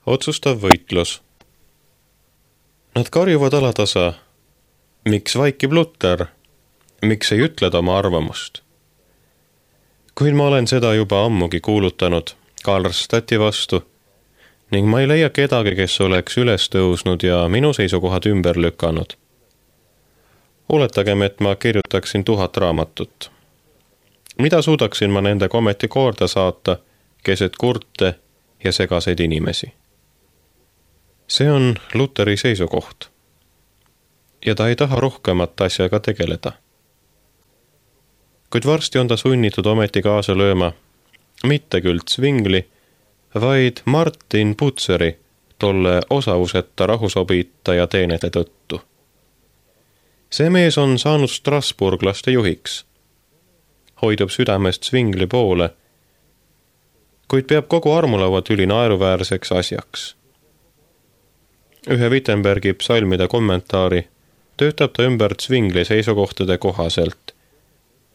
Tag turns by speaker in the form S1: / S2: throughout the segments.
S1: Otsustav võitlus. Nad karjuvad alatasa. Miks vaikib Luter? Miks ei ütled oma arvamust? Kuid ma olen seda juba ammugi kuulutanud Karlstadti vastu ning ma ei leia kedagi, kes oleks üles tõusnud ja minu seisukohad ümber lükanud. Oletagem, et ma kirjutaksin 1000 raamatut. Mida suudaksin ma nendega ometi korda saata keset kurte ja segaseid inimesi? See on Luteri seisukoht. Ja ta ei taha rohkemat asjaga tegeleda. Kuid varsti on ta sunnitud ometi kaasa lööma, mitte küll Zwingli, vaid Martin Buceri, tolle osavuseta rahusobitaja teenete tõttu. See mees on saanud strasburglaste juhiks. Hoidub südamest Zwingli poole, kuid peab kogu armulaua tüli naeruväärseks asjaks. Ühe Wittenbergi psalmide kommentaari töötab ta ümber Zwingli seisukohtade kohaselt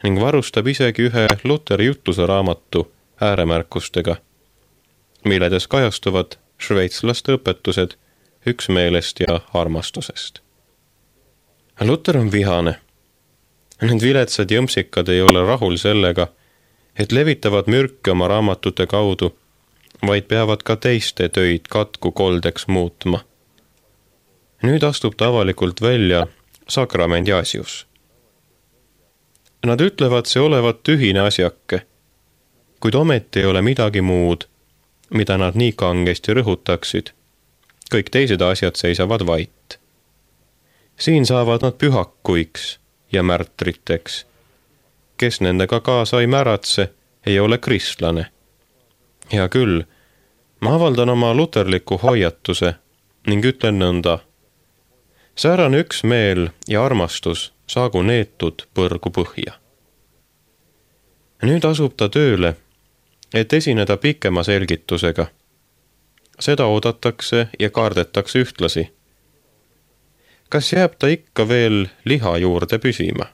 S1: ning varustab isegi ühe Luteri jutluse raamatu ääremärkustega, milledes kajastuvad šveitslaste õpetused üksmeelest ja armastusest. Luter on vihane. Need viletsad jõmpsikad ei ole rahul sellega, et levitavad mürke oma raamatute kaudu, vaid peavad ka teiste töid katku koldeks muutma. Nüüd astub ta avalikult välja sakramendi asjus. Nad ütlevad see olevat tühine asjake, kuid ometi ei ole midagi muud, mida nad nii kangesti rõhutaksid. Kõik teised asjad seisavad vait. Siin saavad nad pühakuiks ja märtriteks. Kes nendega kaasa ei märatse, ei ole kristlane. Ja küll, ma avaldan oma luterliku hoiatuse ning ütlen nõnda. Säärane üksmeel ja armastus saagu neetud põrgu põhja. Nüüd asub ta tööle, et esineda pikema selgitusega. Seda oodatakse ja kardetakse ühtlasi. Kas jääb ta ikka veel liha juurde püsima?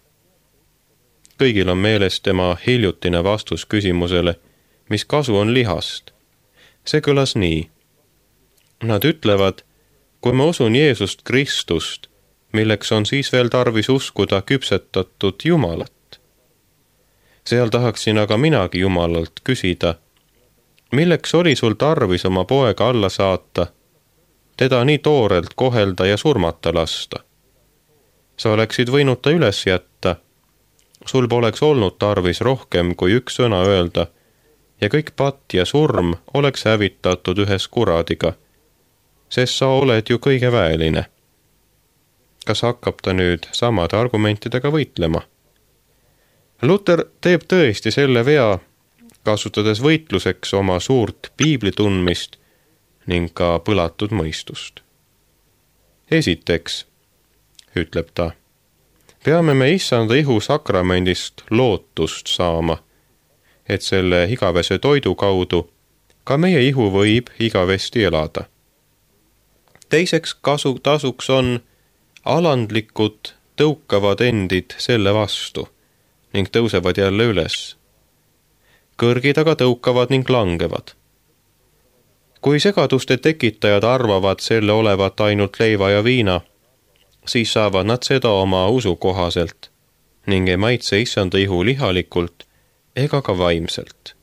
S1: Kõigil on meeles tema hiljutine vastus küsimusele, mis kasu on lihast. See kõlas nii. Nad ütlevad, kui ma usun Jeesust Kristust, milleks on siis veel tarvis uskuda küpsetatud Jumalat. Seal tahaksin aga minagi Jumalalt küsida, milleks oli sul tarvis oma poega alla saata, teda nii toorelt kohelda ja surmata lasta? Sa oleksid võinud ta üles jätta, sul poleks olnud tarvis rohkem kui üks sõna öelda ja kõik patt ja surm oleks hävitatud ühes kuradiga, sest sa oled ju kõige väeline. Kas hakkab ta nüüd samade argumentidega võitlema? Luter teeb tõesti selle vea, kasutades võitluseks oma suurt piibli tundmist ning ka põlatud mõistust. Esiteks, ütleb ta, peame me issanda ihu sakramendist lootust saama, et selle igavese toidu kaudu ka meie ihu võib igavesti elada. Teiseks tasuks on alandlikud tõukavad endid selle vastu ning tõusevad jälle üles. Kõrgid aga tõukavad ning langevad. Kui segaduste tekitajad arvavad selle olevat ainult leiva ja viina, siis saavad nad seda oma usu kohaselt ning ei maitse issanda ihu lihalikult ega ka vaimselt.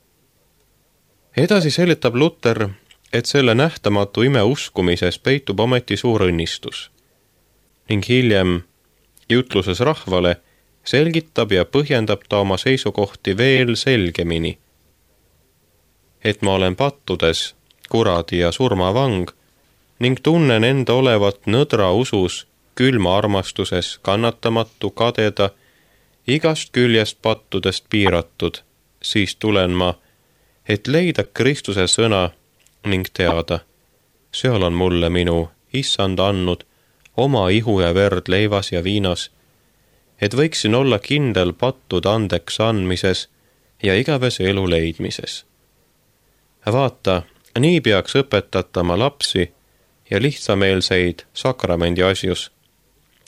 S1: Edasi seletab Luter, et selle nähtamatu ime uskumises peitub ometi suur õnnistus ning hiljem jutluses rahvale selgitab ja põhjendab ta oma seisukohti veel selgemini, et ma olen pattudes kuradi ja surmavang ning tunnen enda olevat nõdra usus, külma armastuses, kannatamatu, kadeda, igast küljest pattudest piiratud, siis tulen ma, et leida Kristuse sõna ning teada, seal on mulle minu issand andnud oma ihu ja verd leivas ja viinas, et võiksin olla kindel pattude andeks andmises ja igavese elu leidmises. Vaata, nii peaks õpetatama lapsi ja lihtsameelseid sakramendi asjus,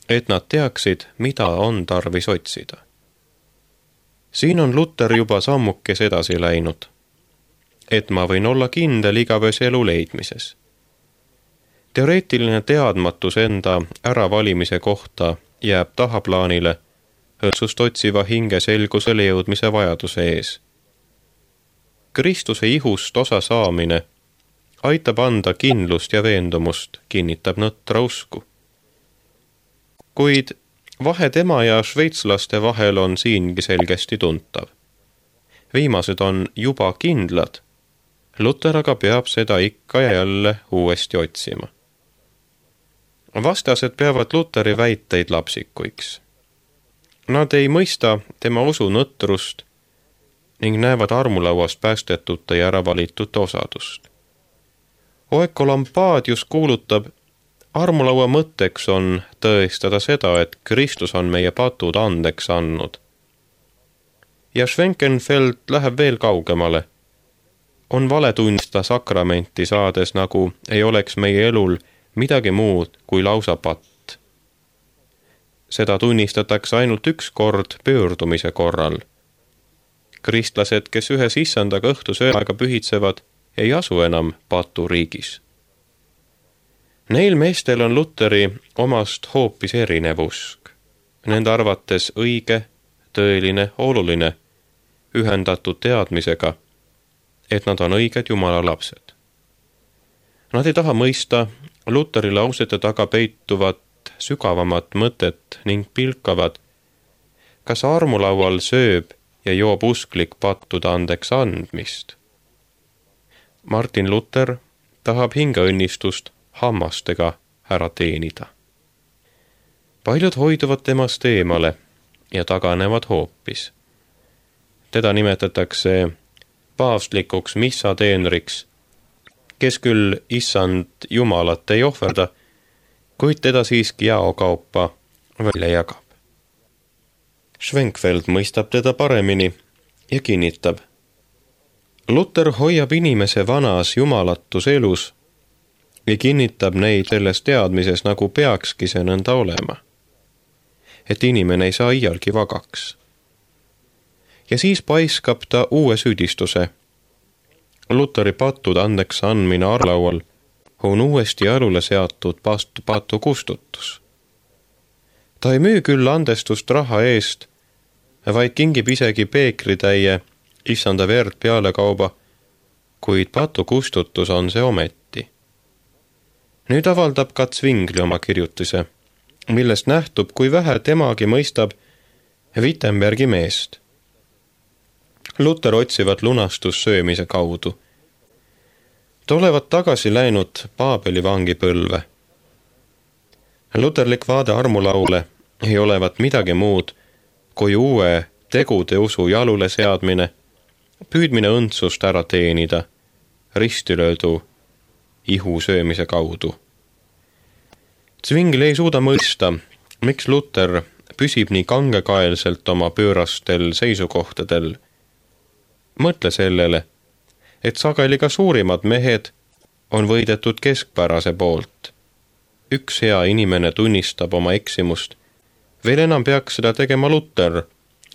S1: et nad teaksid, mida on tarvis otsida. Siin on Luter juba sammukes edasi läinud, et ma võin olla kindel igavese elu leidmises. Teoreetiline teadmatus enda äravalimise kohta jääb tahaplaanile õõtsust otsiva hinge selgusele jõudmise vajaduse ees. Kristuse ihust osa saamine aitab anda kindlust ja veendumust, kinnitab nõtra usku. Kuid vahe tema ja šveitslaste vahel on siingi selgesti tuntav. Viimased on juba kindlad, Luter aga peab seda ikka ja jälle uuesti otsima. Vastased peavad Luteri väiteid lapsikuiks. Nad ei mõista tema usu nõtrust ning näevad armulauast päästetute ja äravalitute osadust. Oekolampadius kuulutab, armulaua mõtteks on tõestada seda, et Kristus on meie patud andeks andnud. Ja Schwenkenfeld läheb veel kaugemale. On vale tunnistada sakramenti saades, nagu ei oleks meie elul midagi muud kui lausa patt. Seda tunnistatakse ainult üks kord pöördumise korral. Kristlased, kes ühes issandaga õhtusööaega pühitsevad, ei asu enam paturiigis. Neil meestel on Luteri omast hoopis erinev usk. Nende arvates õige, tõeline, oluline, ühendatud teadmisega, et nad on õiged Jumala lapsed. Nad ei taha mõista Luteri lausete taga peituvat sügavamat mõtet ning pilkavad, kas armulaual sööb ja joob usklik pattude andeks andmist. Martin Luther tahab hingeõnnistust hammastega ära teenida. Paljud hoiduvad temast eemale ja taganevad hoopis. Teda nimetatakse paavstlikuks missateenriks, kes küll issand Jumalat ei ohverda, kuid teda siiski jaokaupa välja jagab. Schwenkfeld mõistab teda paremini ja kinnitab. Luther hoiab inimese vanas jumalatus elus ja kinnitab neid selles teadmises, nagu peakski see nõnda olema. Et inimene ei saa iialgi vagaks. Ja siis paiskab ta uue süüdistuse. Luteri pattude andeks andmine armulaual on uuesti jalule seatud patu kustutus. Ta ei müü küll andestust raha eest, vaid kingib isegi peekritäie issanda verd pealekauba, kuid patu kustutus on see ometi. Nüüd avaldab ka Zwingli oma kirjutise, millest nähtub, kui vähe temagi mõistab Wittenbergi meest. Luther otsivad lunastus söömise kaudu. Ta olevat tagasi läinud Paabeli vangipõlve. Luterlik vaade armulaule ei olevat midagi muud kui uue tegude usu jalule seadmine, püüdmine õndsust ära teenida, ristilöödu ihu söömise kaudu. Zwingli ei suuda mõista, miks Luther püsib nii kangekaelselt oma pöörastel seisukohtadel. Mõtle sellele, et sageli ka suurimad mehed on võidetud keskpärase poolt. Üks hea inimene tunnistab oma eksimust. Veel enam peaks seda tegema Luther,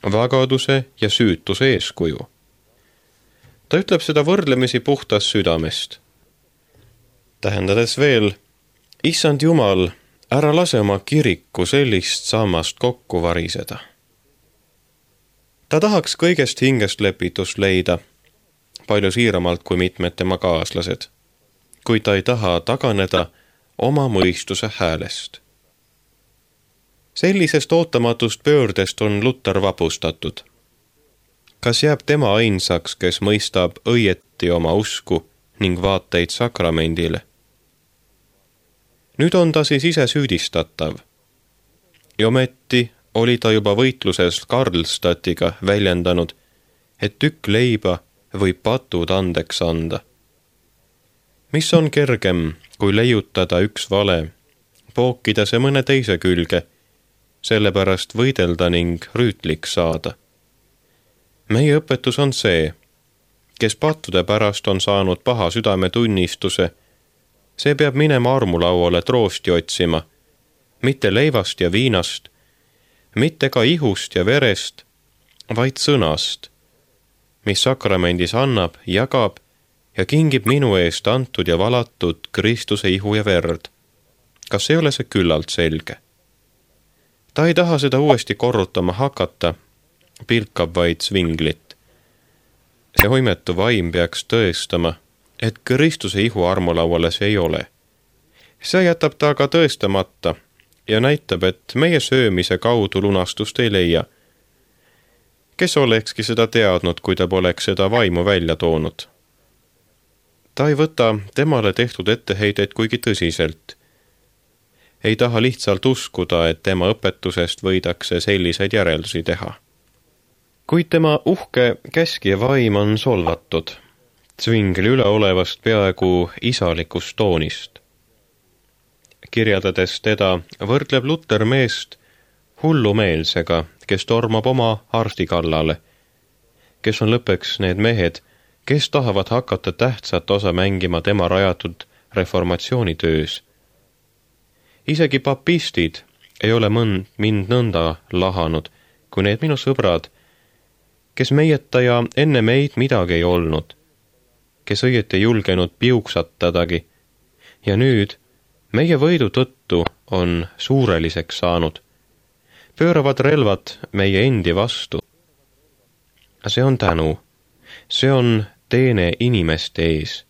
S1: vagaduse ja süütuse eeskuju. Ta ütleb seda võrdlemisi puhtast südamest. Tähendades veel, issand Jumal, ära lase oma kiriku sellist sammast kokku variseda. Ta tahaks kõigest hingest lepitust leida, palju siiramalt kui mitmed tema kaaslased, kuid ta ei taha taganeda oma mõistuse häälest. Sellisest ootamatust pöördest on Luther vapustatud. Kas jääb tema ainsaks, kes mõistab õieti oma usku ning vaateid sakramendile? Nüüd on ta siis ise süüdistatav. Ja ometi oli ta juba võitluses Karlstadtiga väljendanud, et tükk leiba võib patud andeks anda. Mis on kergem, kui leiutada üks vale, pookida see mõne teise külge, sellepärast võidelda ning rüütlik saada. Meie õpetus on see, kes pattude pärast on saanud paha südametunnistuse, see peab minema armulauale troosti otsima, mitte leivast ja viinast, mitte ka ihust ja verest, vaid sõnast, mis sakramendis annab, jagab ja kingib minu eest antud ja valatud Kristuse ihu ja verd. Kas ei ole see küllalt selge? Ta ei taha seda uuesti korrutama hakata, pilkab vaid svinglit. See hoimetu vaim peaks tõestama, et Kristuse ihu armulauale see ei ole. See jätab ta aga tõestamata ja näitab, et meie söömise kaudu lunastust ei leia. Kes olekski seda teadnud, kui ta poleks seda vaimu välja toonud? Ta ei võta temale tehtud etteheideid kuigi tõsiselt. Ei taha lihtsalt uskuda, et tema õpetusest võidakse selliseid järeldusi teha. Kuid tema uhke käskija vaim on solvatud, Zwingli üleolevast peaaegu isalikust toonist. Kirjeldades teda võrdleb Luter meest hullumeelsega, kes tormab oma arsti kallale, kes on lõppeks need mehed, kes tahavad hakata tähtsat osa mängima tema rajatud reformatsioonitöös. Isegi papistid ei ole mind nõnda lahanud, kui need minu sõbrad, kes meieta ja enne meid midagi ei olnud, kes õieti ei julgenud piuksatadagi, ja nüüd meie võidu tõttu on suureliseks saanud, pööravad relvad meie endi vastu. See on tänu, see on teene inimeste ees.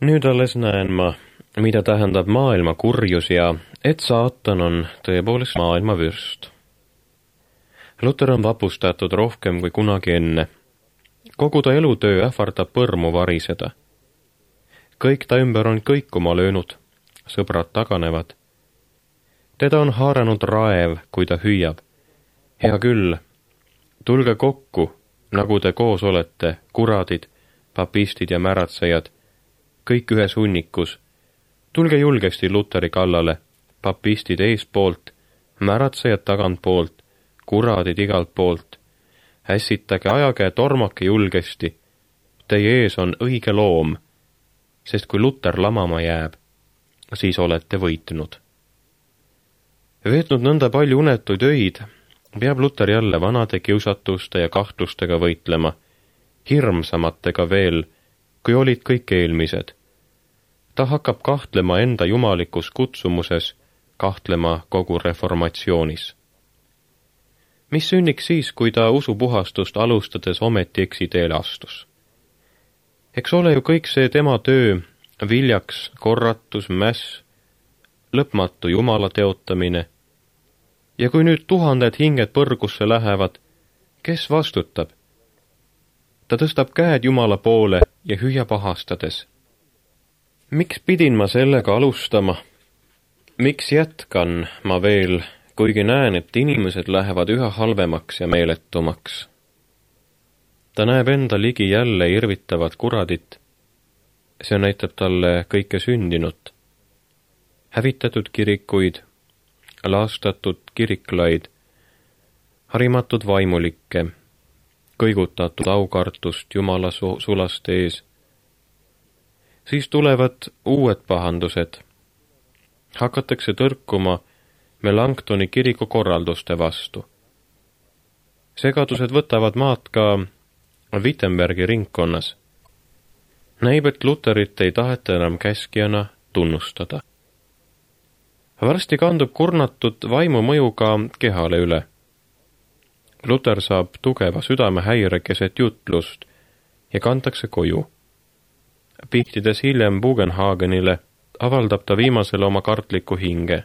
S1: Nüüd alles näen ma, mida tähendab maailma kurjus ja et saatan on tõepoolest maailma vürst. Luter on vapustatud rohkem kui kunagi enne. Kogu ta elutöö ähvardab põrmu variseda. Kõik ta ümber on kõikuma löönud, sõbrad taganevad. Teda on haaranud raev, kui ta hüüab. Hea küll, tulge kokku, nagu te koos olete, kuradid, papistid ja märatsejad, kõik ühes hunnikus. Tulge julgesti Luteri kallale, papistid eespoolt, märatsejad tagantpoolt, kuradid igalt poolt. Ässitage, ajage, tormake julgesti. Teie ees on õige loom, sest kui Luter lamama jääb, siis olete võitnud. Veetnud nõnda palju unetuid öid, peab Luter jälle vanade kiusatuste ja kahtlustega võitlema, hirmsamatega veel, kui olid kõik eelmised. Ta hakkab kahtlema enda jumalikus kutsumuses, kahtlema kogu reformatsioonis. Mis sünniks siis, kui ta usupuhastust alustades ometi eksiteele astus? Eks ole ju kõik see tema töö, viljaks, korratus, mäss, lõpmatu jumala teotamine. Ja kui nüüd 1000 hinged põrgusse lähevad, kes vastutab? Ta tõstab käed jumala poole ja hüüab ahastades. Miks pidin ma sellega alustama? Miks jätkan ma veel, kuigi näen, et inimesed lähevad üha halvemaks ja meeletumaks? Ta näeb enda ligi jälle irvitavat kuradit. See näitab talle kõike sündinut. Hävitatud kirikuid, laastatud kiriklaid, harimatud vaimulikke, kõigutatud aukartust jumala sulaste ees. Siis tulevad uued pahandused. Hakatakse tõrkuma Melanchtoni kiriku korralduste vastu. Segadused võtavad maad ka Wittenbergi ringkonnas. Näib, et Luterit ei taheta enam käskijana tunnustada. Varsti kandub kurnatud vaimu mõju ka kehale üle. Luter saab tugeva südamehäire keset jutlust ja kantakse koju. Pihtides hiljem Bugenhagenile avaldab ta viimasele oma kartliku hinge.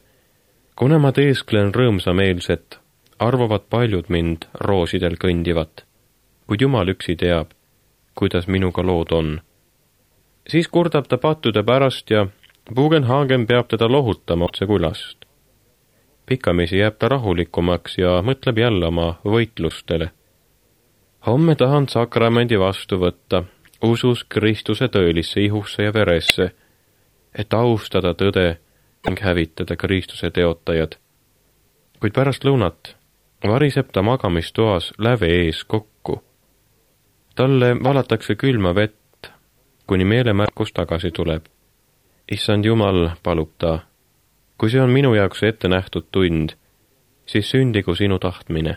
S1: Kuna ma teesklen rõõmsameelset, arvavad paljud mind roosidel kõndivat, kuid Jumal üksi teab, kuidas minuga lood on. Siis kurdab ta pattude pärast ja Bugenhagen peab teda lohutama otse külast. Pikamisi jääb ta rahulikumaks ja mõtleb jälle oma võitlustele. Homme tahan sakramendi vastu võtta, usus Kristuse tõelisse ihusse ja veresse, et austada tõde ning hävitada Kristuse teotajad. Kuid pärast lõunat variseb ta magamistoas läve ees kokku. Talle valatakse külma vett, kuni meelemärkus tagasi tuleb. Issand Jumal, palub ta, kui see on minu jaoks ette nähtud tund, siis sündigu sinu tahtmine.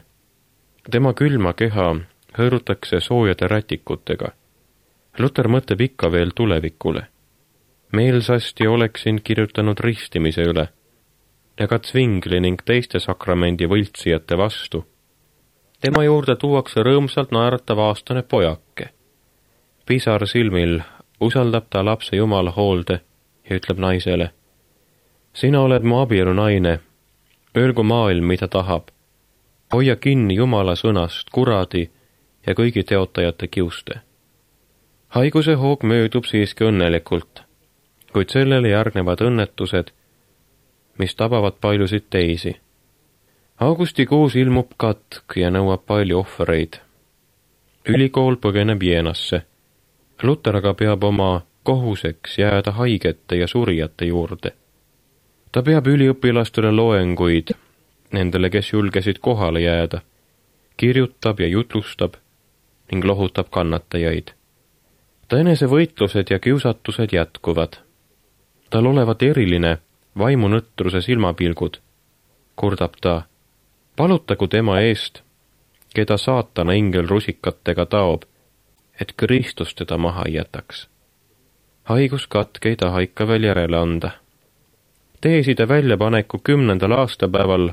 S1: Tema külma keha hõõrutakse soojade rätikutega. Luter mõtleb ikka veel tulevikule. Meelsasti oleksin kirjutanud ristimise üle ja ka Zwingli ning teiste sakramendi võltsijate vastu. Tema juurde tuuakse rõõmsalt naeratav aastane pojake. Pisar silmil usaldab ta lapse Jumala hoolde ja ütleb naisele: sina oled mu abielu naine, öelgu maailm, mida tahab. Hoia kinni Jumala sõnast, kuradi ja kõigi teotajate kiuste. Haiguse hoog möödub siiski õnnelikult, kuid sellele järgnevad õnnetused, mis tabavad paljusid teisi. Augustikuus ilmub katk ja nõuab palju ohvreid. Ülikool põgeneb Jeenasse. Luter aga peab oma kohuseks jääda haigete ja surijate juurde. Ta peab üliõpilastele loenguid, nendele, kes julgesid kohale jääda, kirjutab ja jutlustab ning lohutab kannatajaid. Ta enesevõitlused ja kiusatused jätkuvad. Tal olevat eriline vaimunõtruse silmapilgud, kurdab ta, palutagu tema eest, keda saatana ingel rusikatega taob, et Kristus teda maha ei jätaks. Haiguskatk ei taha ikka veel järele anda. Teeside väljapaneku 10. aastapäeval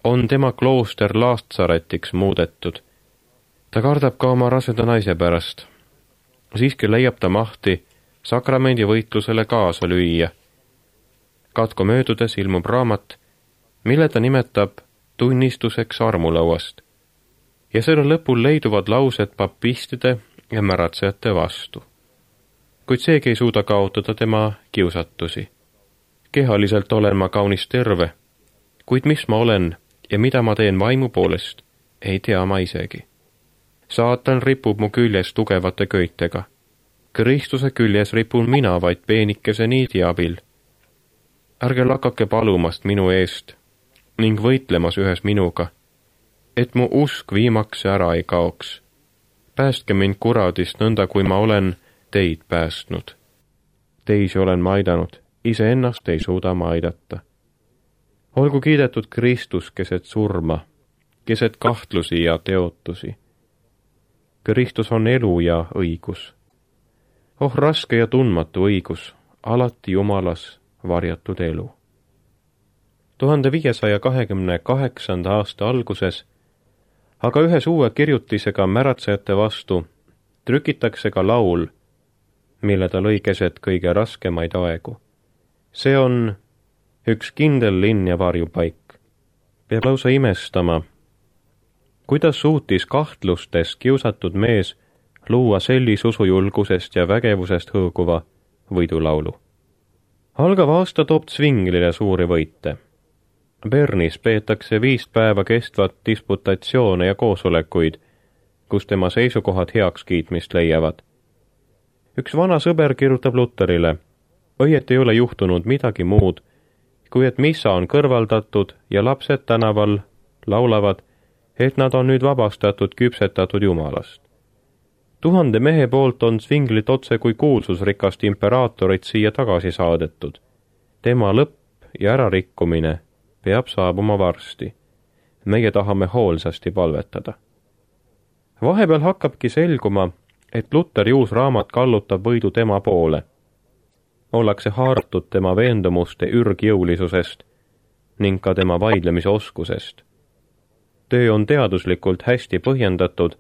S1: on tema klooster Laatsaretiks muudetud. Ta kardab ka oma raseda naise pärast. Siiski leiab ta mahti sakramendi võitlusele kaasa lüüa. Katku möödudes ilmub raamat, mille ta nimetab tunnistuseks armulauast, ja selle lõpul leiduvad laused papistide ja märatsejate vastu. Kuid seegi ei suuda kaotada tema kiusatusi. Kehaliselt olen ma kaunis terve, kuid mis ma olen ja mida ma teen vaimu poolest, ei tea ma isegi. Saatan ripub mu küljes tugevate köitega. Kristuse küljes ripun mina vaid peenikese niidi abil. Ärge lakake palumast minu eest ning võitlemas ühes minuga, et mu usk viimaks ära ei kaoks. Päästke mind kuradist nõnda, kui ma olen teid päästnud. Teisi olen ma aidanud, iseennast ei suuda ma aidata. Olgu kiidetud Kristus keset surma, keset kahtlusi ja teotusi. Kristus on elu ja õigus. Oh, raske ja tundmatu õigus, alati Jumalas varjatud elu. 1528. aasta alguses, aga ühes uue kirjutisega märatsejate vastu trükitakse ka laul, mille ta lõi keset kõige raskemaid aegu. See on üks kindel linn ja varjupaik. Peab lausa imestama, kuidas suutis kahtlustes kiusatud mees luua sellise usujulgusest ja vägevusest hõõguva võidulaulu. Algav aasta toob Zwinglile suuri võite. Bernis peetakse 5 päeva kestvat disputatsioone ja koosolekuid, kus tema seisukohad heakskiitmist leiavad. Üks vana sõber kirjutab Luterile, õieti ei ole juhtunud midagi muud, kui et missa on kõrvaldatud ja lapsed tänaval laulavad, et nad on nüüd vabastatud küpsetatud Jumalast. 1000 mehe poolt on Zwinglit otse kui kuulsusrikast imperaatorit siia tagasi saadetud. Tema lõpp ja ärarikkumine peab saabuma varsti. Meie tahame hoolsasti palvetada. Vahepeal hakkabki selguma, et Luteri uus raamat kallutab võidu tema poole. Ollakse haaratud tema veendumuste ürgjõulisusest ning ka tema vaidlemise oskusest. Töö on teaduslikult hästi põhjendatud,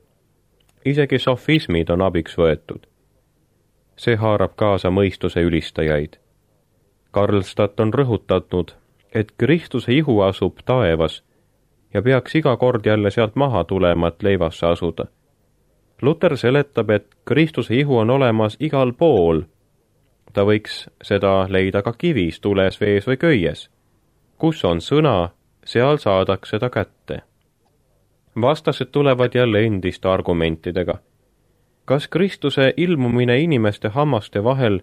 S1: isegi sofismid on abiks võetud. See haarab kaasa mõistuse ülistajaid. Karlstadt on rõhutatud, et Kristuse ihu asub taevas ja peaks iga kord jälle sealt maha tulema, et leivasse asuda. Luter seletab, et Kristuse ihu on olemas igal pool. Ta võiks seda leida ka kivis, tules, vees või köies. Kus on sõna, seal saadaks seda kätte. Vastased tulevad jälle endiste argumentidega. Kas Kristuse ilmumine inimeste hammaste vahel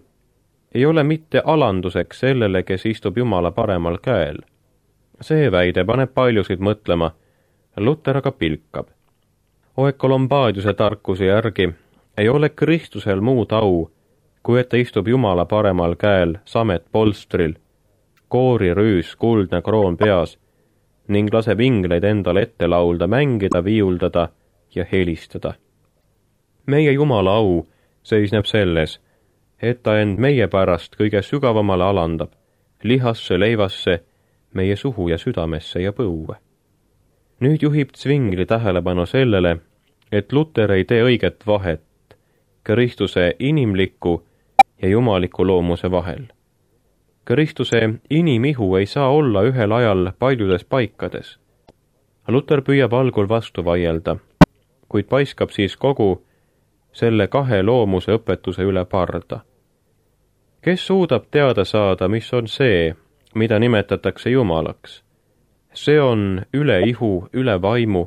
S1: ei ole mitte alanduseks sellele, kes istub Jumala paremal käel? See väide paneb paljusid mõtlema, Luter aga pilkab. Oekolombaadiuse tarkuse järgi ei ole Kristusel muud au, kui et ta istub Jumala paremal käel samet polstril, koorirüüs, kuldne kroon peas ning laseb ingleid endale ette laulda, mängida, viiuldada ja helistada. Meie Jumala au seisneb selles, et ta end meie pärast kõige sügavamale alandab, lihasse, leivasse, meie suhu ja südamesse ja põue. Nüüd juhib Zwingli tähelepanu sellele, et Luter ei tee õiget vahet Kristuse inimliku ja jumaliku loomuse vahel. Kristuse inimihu ei saa olla ühel ajal paljudes paikades. Luter püüab algul vastu vaielda, kuid paiskab siis kogu selle kahe loomuse õpetuse üle parda. Kes suudab teada saada, mis on see, mida nimetatakse Jumalaks? See on üle ihu, üle vaimu,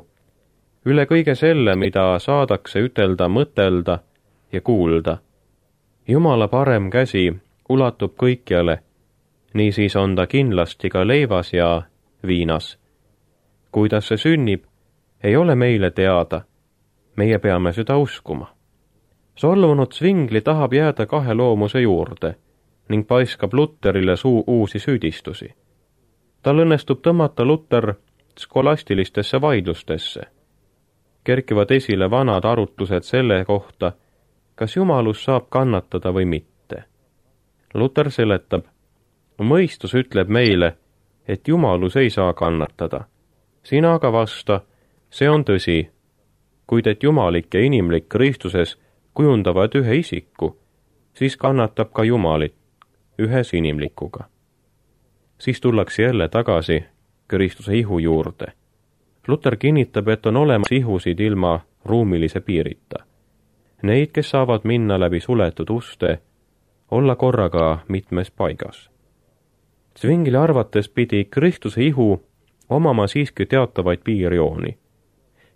S1: üle kõige selle, mida saadakse ütelda, mõtelda ja kuulda. Jumala parem käsi ulatub kõikjale, niisiis on ta kindlasti ka leivas ja viinas. Kuidas see sünnib, ei ole meile teada, meie peame seda uskuma. Solvunud Zwingli tahab jääda kahe loomuse juurde ning paiskab Luterile uusi süüdistusi. Tal õnnestub tõmmata Luter skolastilistesse vaidlustesse. Kerkivad esile vanad arutlused selle kohta, kas jumalus saab kannatada või mitte. Luter seletab, mõistus ütleb meile, et jumalus ei saa kannatada. Sina aga vasta, see on tõsi, kuid et jumalik ja inimlik Kristuses kujundavad ühe isiku, siis kannatab ka jumalit ühes inimlikuga. Siis tullakse jälle tagasi Kristuse ihu juurde. Luter kinnitab, et on olemas ihusid ilma ruumilise piirita. Neid, kes saavad minna läbi suletud uste, olla korraga mitmes paigas. Zwingli arvates pidi Kristuse ihu omama siiski teatavaid piirjooni,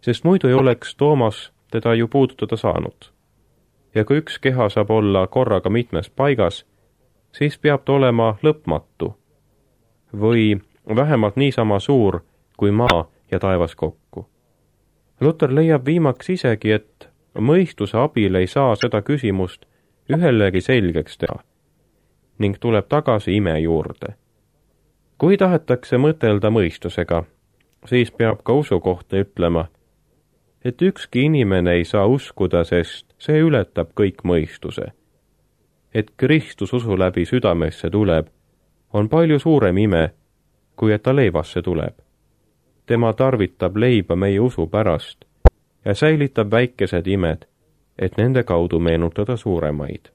S1: sest muidu ei oleks Toomas teda ju puudutada saanud. Ja kui üks keha saab olla korraga mitmes paigas, siis peab ta olema lõpmatu või vähemalt niisama suur kui maa ja taevas kokku. Luter leiab viimaks isegi, et mõistuse abil ei saa seda küsimust ühelegi selgeks teha ning tuleb tagasi ime juurde. Kui tahetakse mõtelda mõistusega, siis peab ka usu kohta ütlema, et ükski inimene ei saa uskuda, sest see ületab kõik mõistuse. Et Kristus usu läbi südamesse tuleb, on palju suurem ime, kui et ta leivasse tuleb. Tema tarvitab leiba meie usu pärast ja säilitab väikesed imed, et nende kaudu meenutada suuremaid.